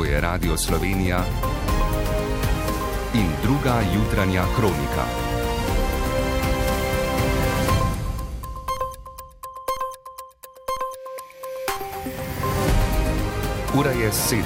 To je Radio Slovenija in druga jutranja kronika. Ura je 7.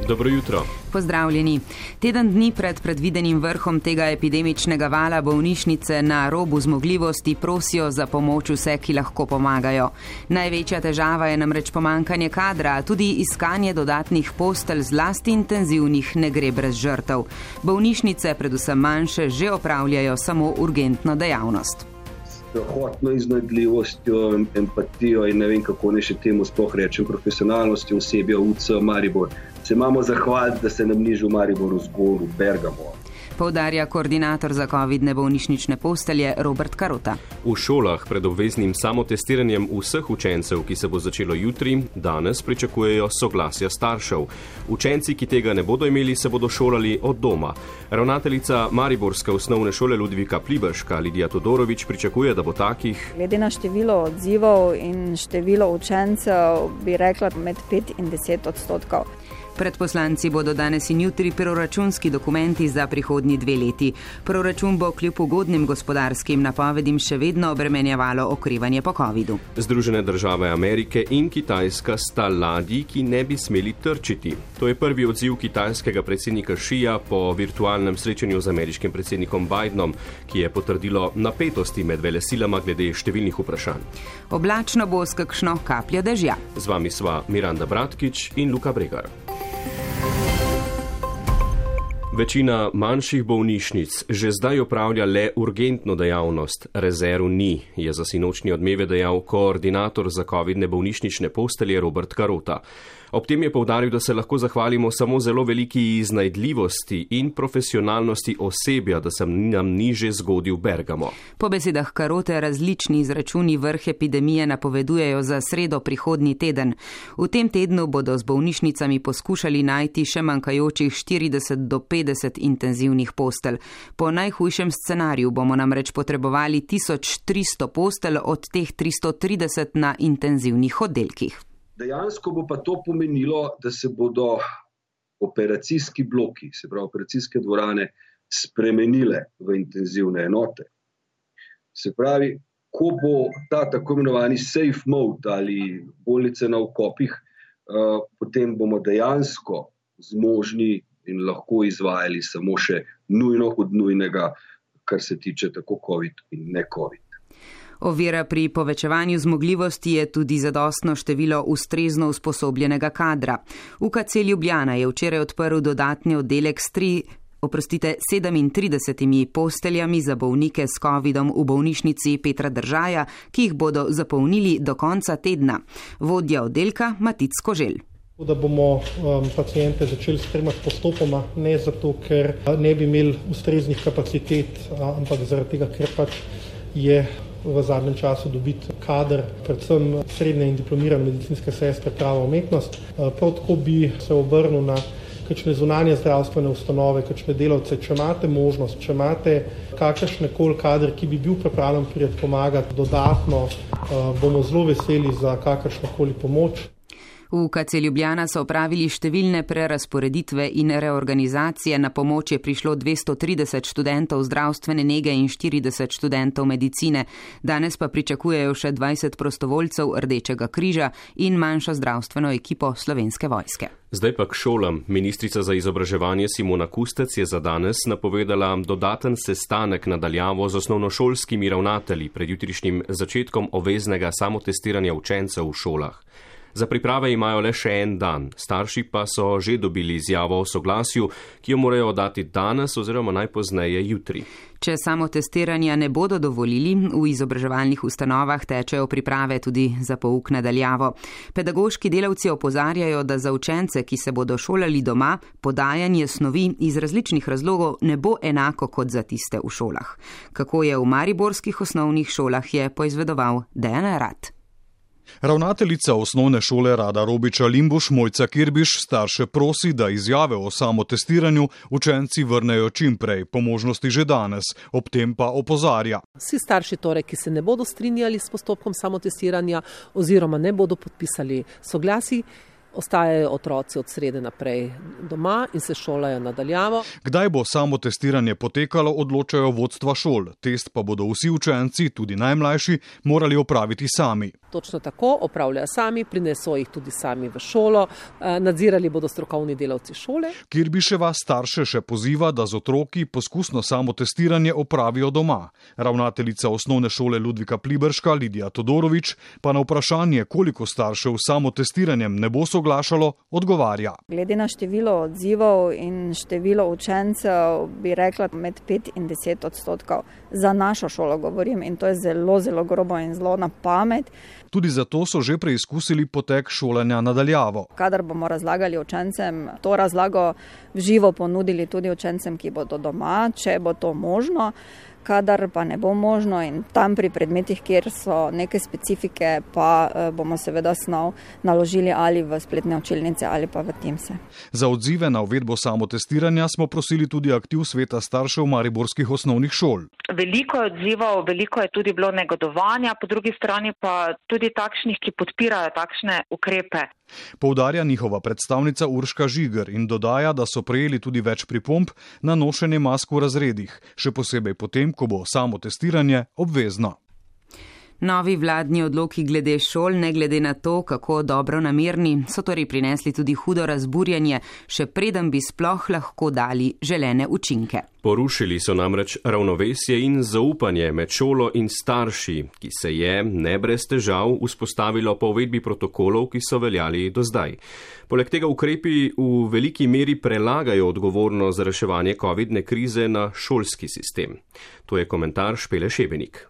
Dobro jutro. Pozdravljeni. Teden dni pred predvidenim vrhom tega epidemičnega vala bolnišnice na robu zmogljivosti prosijo za pomoč vse, ki lahko pomagajo. Največja težava je namreč pomankanje kadra, tudi iskanje dodatnih postelj, zlasti intenzivnih, ne gre brez žrtev. Bolnišnice, predvsem manjše, že opravljajo samo urgentno dejavnost. Hotno iznajdljivostjo, empatijo in ne vem, kako ne še temu sploh rečem, profesionalnostjo osebja UC Maribor. Se imamo zahvaliti, da se nam nižu v Mariboru zgolj v Bergamo. Poudarja koordinator za covidne bolnišnične postelje Robert Karota. V šolah pred obveznim samotestiranjem vseh učencev, ki se bo začelo jutri, danes pričakujejo soglasja staršev. Učenci, ki tega ne bodo imeli, se bodo šolali od doma. Ravnateljica Mariborske osnovne šole Ludvika Pliberška Lidija Todorović pričakuje, da bo takih. Glede na število odzivov in število učencev bi rekla med 5 in 10%. Pred poslanci bodo danes in jutri proračunski dokumenti za prihodnji 2 leti. Proračun bo kljub ugodnim gospodarskim napovedim še vedno obremenjevalo okrevanje po covidu. Združene države Amerike in Kitajska sta ladji, ki ne bi smeli trčiti. To je prvi odziv kitajskega predsednika Šija po virtualnem srečanju z ameriškim predsednikom Bidenom, ki je potrdilo napetosti med velesilama glede številnih vprašanj. Oblačno bo s kakšno kapljo dežja. Z vami sva Miranda Bratkič in Luka Bregar. Večina manjših bolnišnic že zdaj opravlja le urgentno dejavnost, rezerv ni, je za sinočnji Odmeve dejal koordinator za covidne bolnišnične postelje Robert Karota. Ob tem je poudaril, da se lahko zahvalimo samo zelo veliki iznajdljivosti in profesionalnosti osebja, da se nam ni že zgodil Bergamo. Po besedah Karote različni izračuni vrh epidemije napovedujejo za sredo prihodnji teden. V tem tednu bodo z bolnišnicami poskušali najti še manjkajočih 40 do 50 intenzivnih postelj. Po najhujšem scenariju bomo namreč potrebovali 1300 postelj, od teh 330 na intenzivnih oddelkih. Dejansko bo pa to pomenilo, da se bodo operacijski bloki, se pravi operacijske dvorane, spremenile v intenzivne enote. Se pravi, ko bo ta tako imenovani safe mode ali bolnice na okopih, potem bomo dejansko zmožni in lahko izvajali samo še nujno od nujnega, kar se tiče tako COVID in ne COVID. Ovira pri povečevanju zmogljivosti je tudi zadostno število ustrezno usposobljenega kadra. UKC Ljubljana je včeraj odprl dodatni oddelek s 37 posteljami za bolnike s covidom v bolnišnici Petra Držaja, ki jih bodo zapolnili do konca tedna. Vodja oddelka Matic Koželj. Da bomo pacijente začeli spremljati postopoma, ne zato, ker ne bi imeli ustreznih kapacitet, ampak zaradi tega, ker pač je v zadnjem času dobiti kader, predvsem srednje in diplomirane medicinske sestre, prava umetnost. Prav tako bi se obrnil na kakšne zunanje zdravstvene ustanove, kakšne delavce, če imate možnost, če imate kakršnekoli kader, ki bi bil pripravljen priti pomagati dodatno, bomo zelo veseli za kakršnokoli pomoč. V UKC Ljubljana so opravili številne prerazporeditve in reorganizacije. Na pomoč je prišlo 230 študentov zdravstvene nege in 40 študentov medicine. Danes pa pričakujejo še 20 prostovoljcev Rdečega križa in manjšo zdravstveno ekipo Slovenske vojske. Zdaj pa k šolam. Ministrica za izobraževanje Simona Kustec je za danes napovedala dodaten sestanek nadaljavo z osnovnošolskimi ravnatelji pred jutrišnjim začetkom obveznega samotestiranja učencev v šolah. Za priprave imajo le še en dan, starši pa so že dobili izjavo o soglasju, ki jo morajo oddati danes oziroma najpozneje jutri. Če samotestiranja ne bodo dovolili, v izobraževalnih ustanovah tečejo priprave tudi za pouk nadaljavo. Pedagoški delavci opozarjajo, da za učence, ki se bodo šolali doma, podajanje snovi iz različnih razlogov ne bo enako kot za tiste v šolah. Kako je v mariborskih osnovnih šolah, je poizvedoval Dejan Rad. Ravnateljica osnovne šole Rada Robiča Limbuš Mojca Kirbiš starše prosi, da izjave o samotestiranju učenci vrnejo čim prej, po možnosti že danes, ob tem pa opozarja. Vsi starši torej, ki se ne bodo strinjali s postopkom samotestiranja oziroma ne bodo podpisali soglasij, Ostajajo otroci od srede naprej doma in se šolajo nadaljavo. Kdaj bo samotestiranje potekalo, odločajo vodstva šol. Test pa bodo vsi učenci, tudi najmlajši, morali opraviti sami. Točno tako, opravljajo sami, prineso jih tudi sami v šolo, nadzirali bodo strokovni delavci šole. Kirbiševa starše še poziva, da z otroki poskusno samotestiranje opravijo doma. Ravnateljica osnovne šole Ludvika Pliberška Lidija Todorović pa na vprašanje, koliko staršev s samotestiranjem ne bo soglašalo, odgovarja. Glede na število odzivov in število učencev bi rekla med 5 in 10%. Za našo šolo govorim in to je zelo, zelo grobo in zelo na pamet. Tudi zato so že preizkusili potek šolanja nadaljavo. Kadar bomo razlagali učencem, to razlago v živo ponudili tudi učencem, ki bodo doma, če bo to možno. Kadar pa ne bo možno in tam pri predmetih, kjer so neke specifike, pa bomo seveda snov naložili ali v spletne učilnice ali pa v Teamse. Za odzive na uvedbo samotestiranja smo prosili tudi aktiv sveta staršev mariborskih osnovnih šol. Veliko je odzivov, veliko je tudi bilo negodovanja, po drugi strani pa tudi takšnih, ki podpirajo takšne ukrepe. Poudarja njihova predstavnica Urška Žiger in dodaja, da so prejeli tudi več pripomb na nošenje mask v razredih, še posebej potem, ko bo samotestiranje obvezno. Novi vladni odloki glede šol, ne glede na to, kako dobro namerni, so torej prinesli tudi hudo razburjanje, še preden bi sploh lahko dali želene učinke. Porušili so namreč ravnovesje in zaupanje med šolo in starši, ki se je, ne brez težav, vzpostavilo po uvedbi protokolov, ki so veljali do zdaj. Poleg tega ukrepi v veliki meri prelagajo odgovornost za reševanje covidne krize na šolski sistem. To je komentar Špele Šebenik.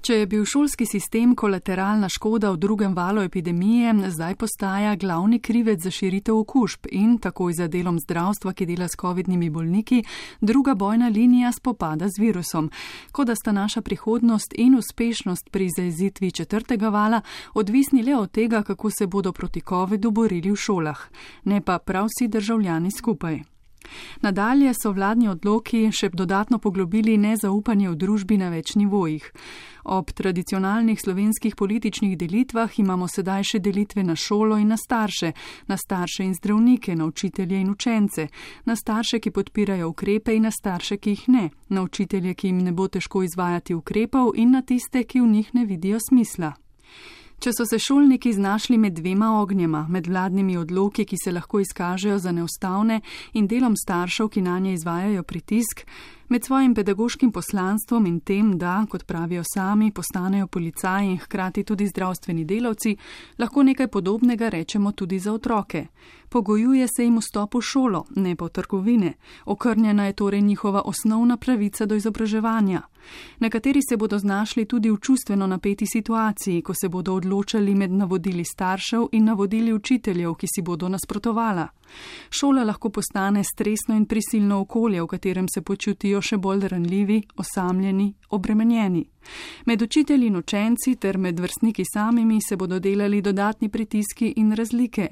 Če je bil šolski sistem kolateralna škoda v drugem valu epidemije, zdaj postaja glavni krivec za širitev okužb in takoj za delom zdravstva, ki dela s covidnimi bolniki, druga bojna linija spopada z virusom. Kot da sta naša prihodnost in uspešnost pri zajezitvi četrtega vala odvisni le od tega, kako se bodo proti covidu borili v šolah, ne pa prav vsi državljani skupaj. Nadalje so vladni odloki še dodatno poglobili nezaupanje v družbi na več nivojih. Ob tradicionalnih slovenskih političnih delitvah imamo sedaj še delitve na šolo in na starše in zdravnike, na učitelje in učence, na starše, ki podpirajo ukrepe in na starše, ki jih ne, na učitelje, ki jim ne bo težko izvajati ukrepov in na tiste, ki v njih ne vidijo smisla. Če so se šolniki znašli med dvema ognjema, med vladnimi odloki, ki se lahko izkažejo za neustavne, in delom staršev, ki nanje izvajajo pritisk, med svojim pedagoškim poslanstvom in tem, da, kot pravijo sami, postanejo policaji in hkrati tudi zdravstveni delavci, lahko nekaj podobnega rečemo tudi za otroke. Pogojuje se jim vstop v šolo, ne pa v trgovine. Okrnjena je torej njihova osnovna pravica do izobraževanja. Nekateri se bodo znašli tudi v čustveno napeti situaciji, ko se bodo odločali med navodili staršev in navodili učiteljev, ki si bodo nasprotovala. Šola lahko postane stresno in prisilno okolje, v katerem se počutijo še bolj ranljivi, osamljeni, obremenjeni. Med učitelji in učenci ter med vrstniki samimi se bodo delali dodatni pritiski in razlike.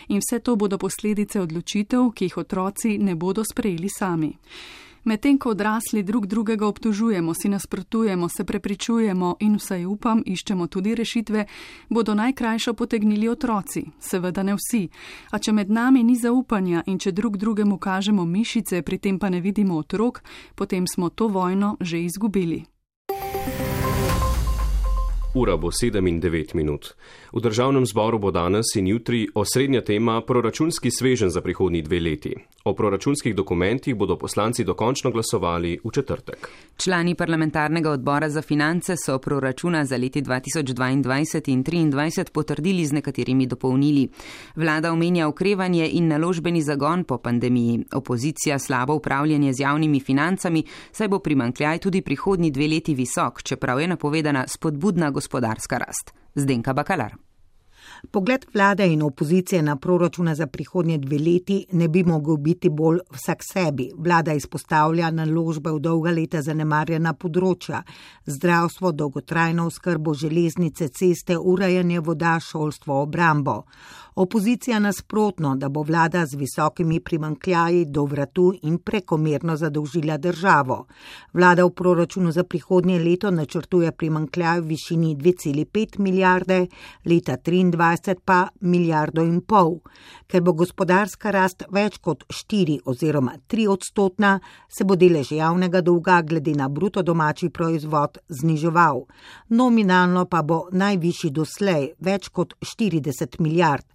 In vse to bodo posledice odločitev, ki jih otroci ne bodo sprejeli sami. Medtem ko odrasli drug drugega obtožujemo, si nasprotujemo, se prepričujemo in vsaj upam, iščemo tudi rešitve, bodo najkrajšo potegnili otroci. Seveda ne vsi. A če med nami ni zaupanja in če drug drugemu kažemo mišice, pri tem pa ne vidimo otrok, potem smo to vojno že izgubili. Ura bo 7:09. V državnem zboru bo danes in jutri osrednja tema proračunski sveženj za prihodnji 2 leti. O proračunskih dokumentih bodo poslanci dokončno glasovali v četrtek. Člani parlamentarnega odbora za finance so proračuna za leti 2022 in 2023 potrdili z nekaterimi dopolnili. Vlada omenja okrevanje in naložbeni zagon po pandemiji. Opozicija slabo upravljanje z javnimi financami, saj bo primanjkljaj tudi prihodnji 2 leti visok, čeprav je napovedana spodbudna gospodarska rast. Zdenka Bakalar. Pogled vlade in opozicije na proračuna za prihodnje 2 leti ne bi mogel biti bolj vsak sebi. Vlada izpostavlja naložbe v dolga leta zanemarjena področja, zdravstvo, dolgotrajno oskrbo, železnice, ceste, urejanje voda, šolstvo, obrambo. Opozicija nasprotno, da bo vlada z visokimi primanjkljaji do vratu in prekomerno zadolžila državo. Vlada v proračunu za prihodnje leto načrtuje primanjkljaj v višini 2,5 milijarde, leta 2023 pa 1,5 milijarde. Ker bo gospodarska rast več kot 4 oziroma 3%, se bo delež javnega dolga glede na bruto domači proizvod zniževal. Nominalno pa bo najvišji doslej, več kot 40 milijard.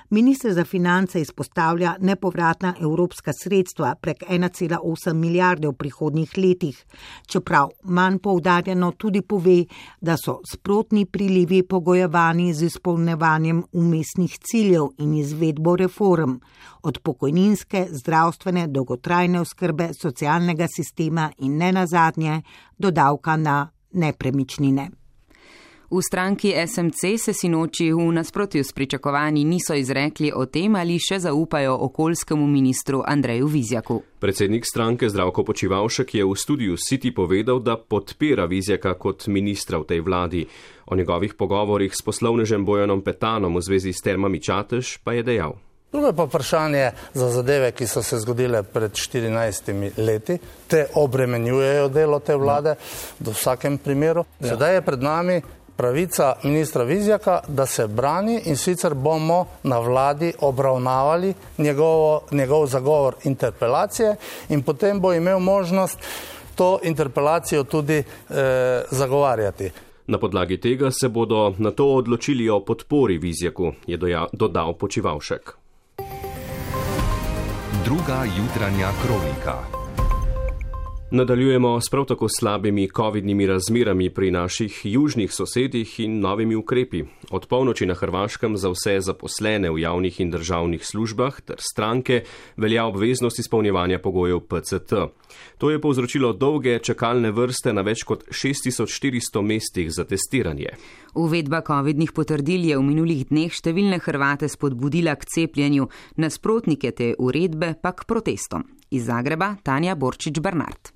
Minister za finance izpostavlja nepovratna evropska sredstva prek 1,8 milijarde v prihodnjih letih, čeprav manj poudarjeno tudi pove, da so sprotni prilivi pogojevani z izpolnjevanjem umestnih ciljev in izvedbo reform, od pokojninske, zdravstvene, dolgotrajne oskrbe, socialnega sistema in nenazadnje do davka na nepremičnine. V stranki SMC se sinoči v nasprotju s pričakovanji niso izrekli o tem, ali še zaupajo okoljskemu ministru Andreju Vizjaku. Predsednik stranke Zdravko Počivalšek je v studiu City povedal, da podpira Vizjaka kot ministra v tej vladi. O njegovih pogovorih s poslovnežem Bojanom Petanom v zvezi s Termami Čatež pa je dejal. Drugo je pa vprašanje za zadeve, ki so se zgodile pred 14 leti. Te obremenjujejo delo te vlade v vsakem primeru. Sedaj je pred nami pravica ministra Vizjaka, da se brani, in sicer bomo na vladi obravnavali njegov zagovor interpelacije in potem bo imel možnost to interpelacijo tudi zagovarjati. Na podlagi tega se bodo na to odločili o podpori Vizjaku, je dodal Počivalšek. Druga jutranja kronika. Nadaljujemo s prav tako slabimi covidnimi razmerami pri naših južnih sosedih in novimi ukrepi. Od polnoči na Hrvaškem za vse zaposlene v javnih in državnih službah ter stranke velja obveznost izpolnjevanja pogojev PCT. To je povzročilo dolge čakalne vrste na več kot 6400 mestih za testiranje. Uvedba covidnih potrdil je v minulih dneh številne Hrvate spodbudila k cepljenju, nasprotnike te uredbe pa k protestom. Iz Zagreba Tanja Borčič-Barnard.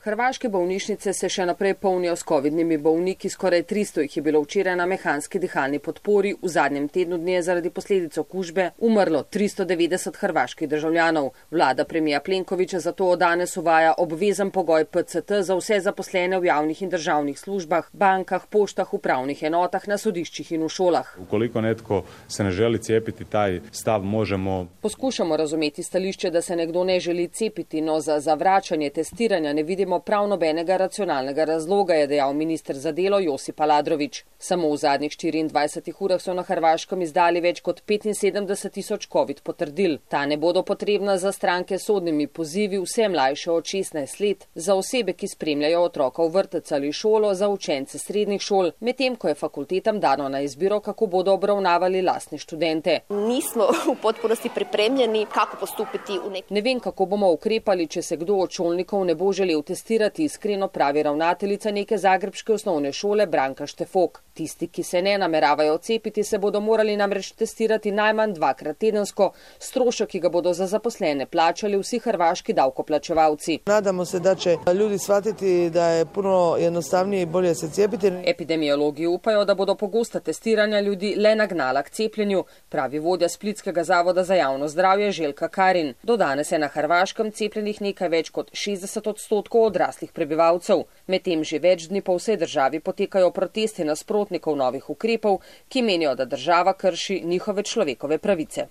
Hrvaške bolnišnice se še naprej polnijo s covidnimi bolniki, skoraj 300 jih je bilo včeraj na mehanski dihalni podpori, v zadnjem tednu dne je zaradi posledic okužbe umrlo 390 hrvaških državljanov. Vlada premija Plenkovića zato od danes uvaja obvezen pogoj PCT za vse zaposlene v javnih in državnih službah, bankah, poštah, upravnih enotah, na sodiščih in v šolah. Ukoliko netko se ne želi cepiti, taj stav možemo... Poskušamo razumeti stališče, da se nekdo ne želi cepiti, no za zavračanje testiranja ne vidimo prav nobenega racionalnega razloga, je dejal minister za delo Josip Aladrović. Samo v zadnjih 24 urah so na Hrvaškem izdali več kot 75.000 covid potrdil. Ta ne bodo potrebna za stranke s sodnimi pozivi, vse mlajše od 16 let, za osebe, ki spremljajo otroka v vrtec ali šolo, za učence srednjih šol, medtem ko je fakultetam dano na izbiro, kako bodo obravnavali lastne študente. Nismo v potpunosti pripremljeni, kako postupiti v nek... Ne vem, kako bomo ukrepali, če se kdo od šolnikov ne bo želel testirati, iskreno pravi ravnateljica neke zagrebške osnovne šole Branka Štefok. Tisti, ki se ne nameravajo cepiti, se bodo morali namreč testirati najmanj 2-krat tedensko, strošek, ki ga bodo za zaposlene plačali vsi hrvaški davkoplačevalci. Nadamo se, da će ljudi shvatiti da je puno jednostavnije i bolje se cepiti. Epidemiologi upajo, da bodo pogosta testiranja ljudi le nagnala k cepljenju, pravi vodja Splitskega zavoda za javno zdravje Željka Karin. Do danes je na Hrvaškem cepljenih nekaj več kot 60% odraslih prebivalcev. Medtem že več dni po vsej državi potekajo protesti nasprotnikov novih ukrepov, ki menijo, da država krši njihove človekove pravice.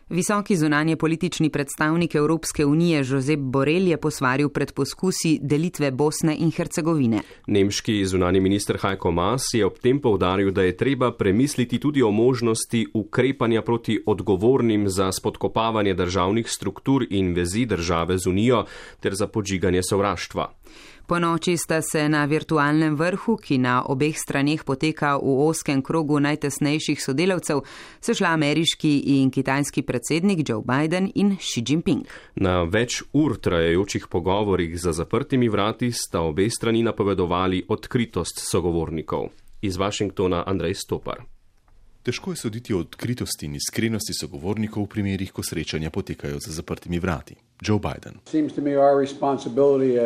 Visoki zunanje politični predstavnik Evropske unije Josep Borrell je posvaril pred poskusi delitve Bosne in Hercegovine. Nemški zunani minister Heiko Maas je ob tem poudaril, da je treba premisliti tudi o možnosti ukrepanja proti odgovornim za spodkopavanje državnih struktur in vezi države z Unijo ter za podžiganje sovraštva. Po noči sta se na virtualnem vrhu, ki na obeh straneh poteka v ozkem krogu najtesnejših sodelavcev, sešla ameriški in kitajski predsednik Joe Biden in Xi Jinping. Na več ur trajajočih pogovorih za zaprtimi vrati sta obe strani napovedovali odkritost sogovornikov. Iz Washingtona Andrej Stopar. Težko je soditi o odkritosti in iskrenosti sogovornikov v primerih, ko srečanja potekajo za zaprtimi vrati. Joe Biden.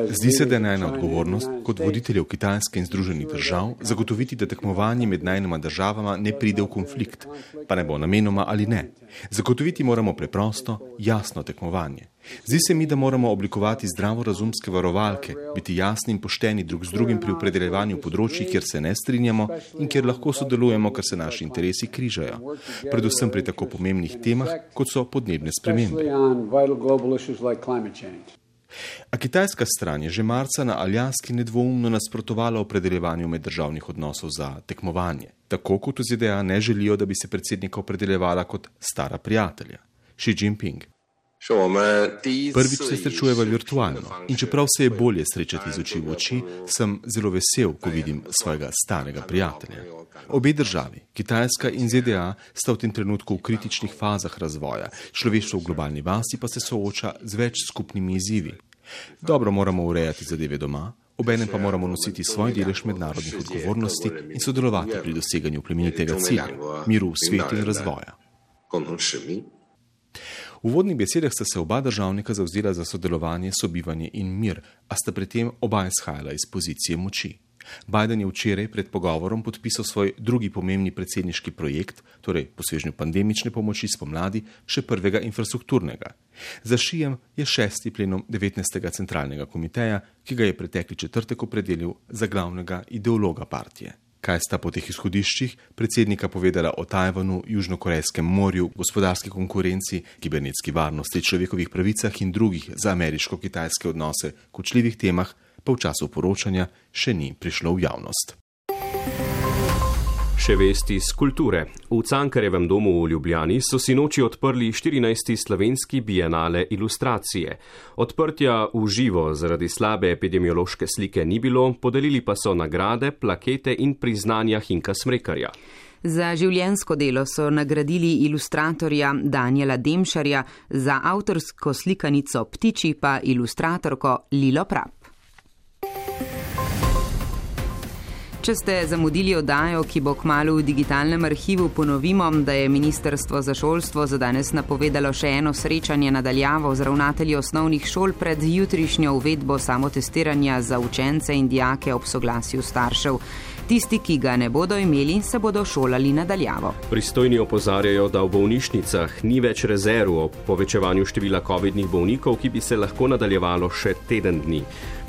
Zdi se, da je najna odgovornost kot voditeljev Kitajske in Združenih držav zagotoviti, da tekmovanje med najnima državama ne pride v konflikt, pa ne bo namenoma ali ne. Zagotoviti moramo preprosto, jasno tekmovanje. Zdi se mi, da moramo oblikovati zdravorazumske varovalke, biti jasni in pošteni drug z drugim pri opredeljevanju področji, kjer se ne strinjamo in kjer lahko sodelujemo, ker se naši interesi križajo. Predvsem pri tako pomembnih temah, kot so podnebne spremembe. A kitajska stran je že marca na Aljaski nedvoumno nasprotovala opredeljevanju meddržavnih odnosov za tekmovanje. Tako kot v ZDA ne želijo, da bi se predsednika opredeljevala kot stara prijatelja. Xi Jinping. Prvič se srečujeva virtualno in čeprav se je bolje srečati z oči v oči, sem zelo vesel, ko vidim svojega starega prijatelja. Obe državi, Kitajska in ZDA, sta v tem trenutku v kritičnih fazah razvoja, človeštvo v globalni vasi pa se sooča z več skupnimi izzivi. Dobro moramo urejati zadeve doma, obenem pa moramo nositi svoj delež mednarodnih odgovornosti in sodelovati pri doseganju plemenitega cilja, miru v svetu in razvoja. V uvodnih besedah sta se oba državnika zavzela za sodelovanje, sobivanje in mir, a sta pri tem oba izhajala iz pozicije moči. Biden je včeraj pred pogovorom podpisal svoj drugi pomembni predsedniški projekt, torej po svežnju pandemične pomoči spomladi, še prvega infrastrukturnega. Za Xijem je 6. plenum 19. centralnega komiteja, ki ga je pretekli četrtek opredelil za glavnega ideologa partije. Kaj sta po teh izhodiščih predsednika povedala o Tajvanu, Južnokorejskem morju, gospodarski konkurenci, kibernetski varnosti, človekovih pravicah in drugih za ameriško-kitajske odnose kočljivih temah, pa v času poročanja še ni prišlo v javnost. Še vesti iz kulture. V Cankarjevem domu v Ljubljani so sinoči odprli 14. slovenski bienale ilustracije. Odprtja v živo zaradi slabe epidemiološke slike ni bilo, podelili pa so nagrade, plakete in priznanja Hinka Smrekarja. Za življenjsko delo so nagradili ilustratorja Danijela Demšarja, za avtorsko slikanico Ptiči pa ilustratorko Lilo Prap. Če ste zamudili oddajo, ki bo kmalu v digitalnem arhivu, ponovimo, da je Ministrstvo za šolstvo za danes napovedalo še eno srečanje nadaljavo z ravnatelji osnovnih šol pred jutrišnjo uvedbo samotestiranja za učence in dijake ob soglasju staršev. Tisti, ki ga ne bodo imeli, se bodo šolali nadaljavo. Pristojni opozarjajo, da v bolnišnicah ni več rezerv o povečevanju števila covidnih bolnikov, ki bi se lahko nadaljevalo še teden dni.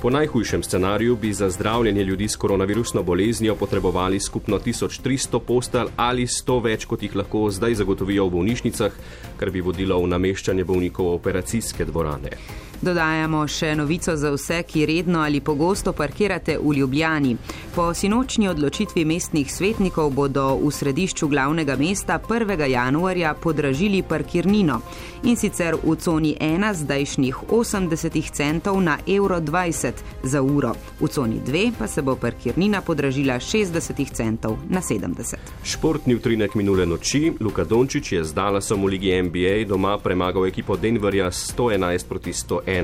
Po najhujšem scenariju bi za zdravljenje ljudi s koronavirusno boleznijo potrebovali skupno 1300 postelj ali 100 več, kot jih lahko zdaj zagotovijo v bolnišnicah, kar bi vodilo v nameščanje bolnikov v operacijske dvorane. Dodajamo še novico za vse, ki redno ali pogosto parkirate v Ljubljani. Po sinočnji odločitvi mestnih svetnikov bodo v središču glavnega mesta 1. januarja podražili parkirnino. In sicer v coni 1 zdajšnjih 80 centov na €20 za uro. V coni 2 pa se bo parkirnina podražila 60 centov na 70. Športni utrinek minule noči. Luka Dončić je z Dallasom v ligi NBA doma premagal ekipo Denverja 111-101.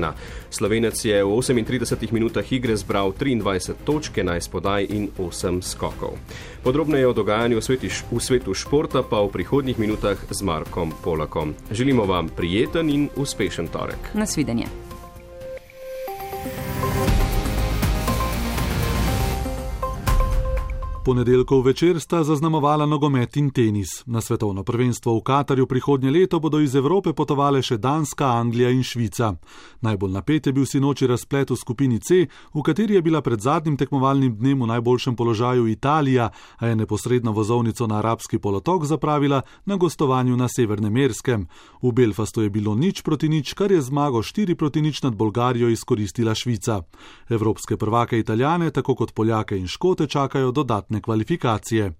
Slovenec je v 38 minutah igre zbral 23 točk, 11 podaj in 8 skokov. Podrobneje o dogajanju v svetu športa pa v prihodnjih minutah z Markom Polakom. Želimo vam prijeten in uspešen torek. Nasvidenje. Ponedeljkov večer sta zaznamovala nogomet in tenis. Na svetovno prvenstvo v Katarju prihodnje leto bodo iz Evrope potovale še Danska, Anglija in Švica. Najbolj napet je bil sinoči razplet v skupini C, v kateri je bila pred zadnjim tekmovalnim dnem v najboljšem položaju Italija, a je neposredno vozovnico na arabski polotok zapravila na gostovanju na Severnem Irskem. V Belfastu je bilo 0-0, kar je zmago 4-0 nad Bolgarijo izkoristila Švica. Evropske prvake Italijane, tako kot Poljake in Škote, čakajo dodatne kvalifikacije.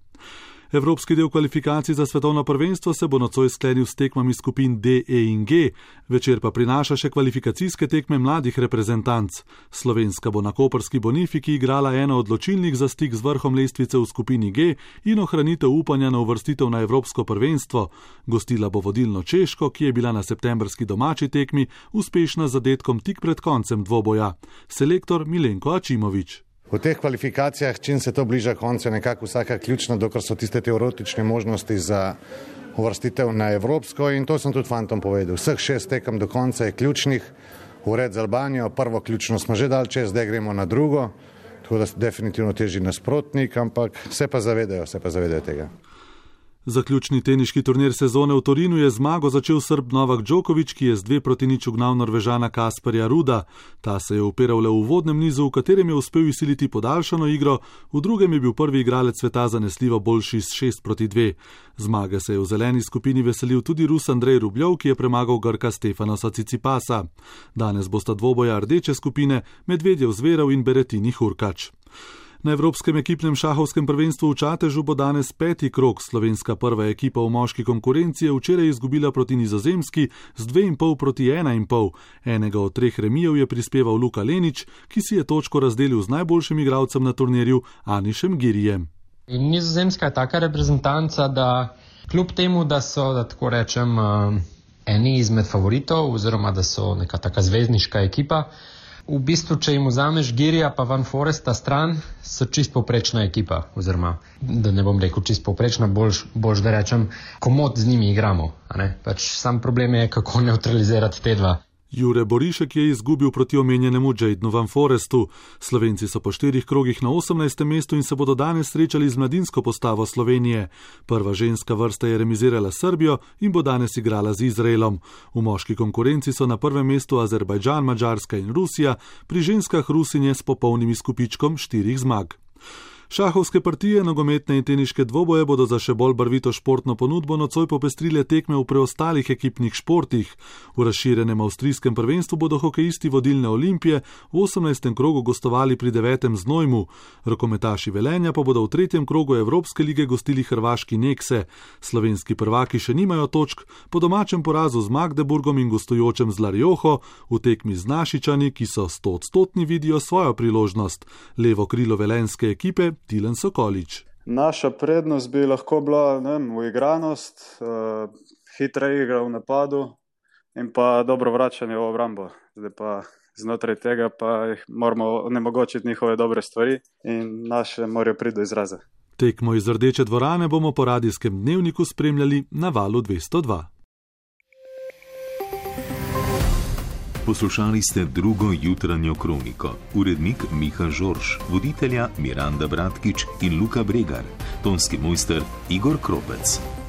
Evropski del kvalifikacij za svetovno prvenstvo se bo nocoj sklenil s tekmami skupin D, E in G, večer pa prinaša še kvalifikacijske tekme mladih reprezentanc. Slovenska bo na koprski Bonifiki igrala eno odločilnih za stik z vrhom lestvice v skupini G in ohranitev upanja na uvrstitev na Evropsko prvenstvo. Gostila bo vodilno Češko, ki je bila na septembrski domači tekmi uspešna z zadetkom tik pred koncem dvoboja. Selektor Milenko Ačimović. V teh kvalifikacijah, čim se to bliža koncu, je nekako vsaka ključna, dokler so tiste teoretične možnosti za uvrstitev na evropsko in to sem tudi fantom povedal. Vseh 6 tekem do konca je ključnih, ured z Albanijo, prvo ključno smo že dali čez, zdaj gremo na drugo, tako da definitivno teži nasprotnik, ampak se pa zavedajo tega. Zaključni teniški turnir sezone v Torinu je zmago začel Srb Novak Djokovic, ki je z 2-0 ugnal Norvežana Kasparja Ruda. Ta se je upiral le v uvodnem nizu, v katerem je uspel izsiliti podaljšano igro, v drugem je bil prvi igralec sveta zanesljivo boljši s 6-2. Zmage se je v zeleni skupini veselil tudi Rus Andrej Rubljov, ki je premagal Grka Stefanosa Cicipasa. Danes bosta dvoboja rdeče skupine Medvedjev Zverov in Berettini Hurkač. Na Evropskem ekipnem šahovskem prvenstvu v Čatežu bo danes 5. krog. Slovenska prva ekipa v moški konkurenci je včeraj izgubila proti Nizozemski z 2,5-1,5. Enega od 3 remijev je prispeval Luka Lenič, ki si je točko razdelil z najboljšim igralcem na turnirju Anišem Girijem. Nizozemska je taka reprezentanca, da kljub temu, da so, da tako rečem, eni izmed favoritov oziroma da so neka taka zvezdniška ekipa, v bistvu, če jim vzameš Girija pa Van Foresta stran, so čist povprečna ekipa, oziroma, da ne bom rekel čist povprečna, boljš da rečem, komod z njimi igramo. Pač sam problem je, kako neutralizirati te dva. Jure Borišek je izgubil proti omenjenemu Jadenu Van Forestu. Slovenci so po 4 krogih na 18. mestu in se bodo danes srečali z mladinsko postavo Slovenije. Prva ženska vrsta je remizirala Srbijo in bo danes igrala z Izraelom. V moški konkurenci so na prvem mestu Azerbajdžan, Madžarska in Rusija, pri ženskah Rusinje s popolnim izkupičkom 4 zmag. Šahovske partije, nogometne in teniške dvoboje bodo za še bolj barvito športno ponudbo nocoj popestrile tekme v preostalih ekipnih športih. V razširjenem avstrijskem prvenstvu bodo hokejisti vodilne Olimpije v 18. krogu gostovali pri 9. Znojmu. Rokometaši Velenja pa bodo v 3. krogu Evropske lige gostili hrvaški Nekse. Slovenski prvaki še nimajo točk, po domačem porazu z Magdeburgom in gostujočem z Larjoho, v tekmi z Našičani, ki so 100% vidijo svojo priložnost. Levo krilo velenjske ekipe Tilen Sokolič. Naša prednost bi lahko bila uigranost, hitra igra v napadu in pa dobro vračanje v obrambo. Zdaj pa znotraj tega pa moramo onemogočiti njihove dobre stvari in naše morajo priti do izraza. Tekmo iz Rdeče dvorane bomo po radijskem dnevniku spremljali na valu 202. Poslušali ste drugo jutranjo kroniko. Urednik Miha Žorž, voditelja Miranda Bratkič in Luka Bregar, tonski mojster Igor Kropec.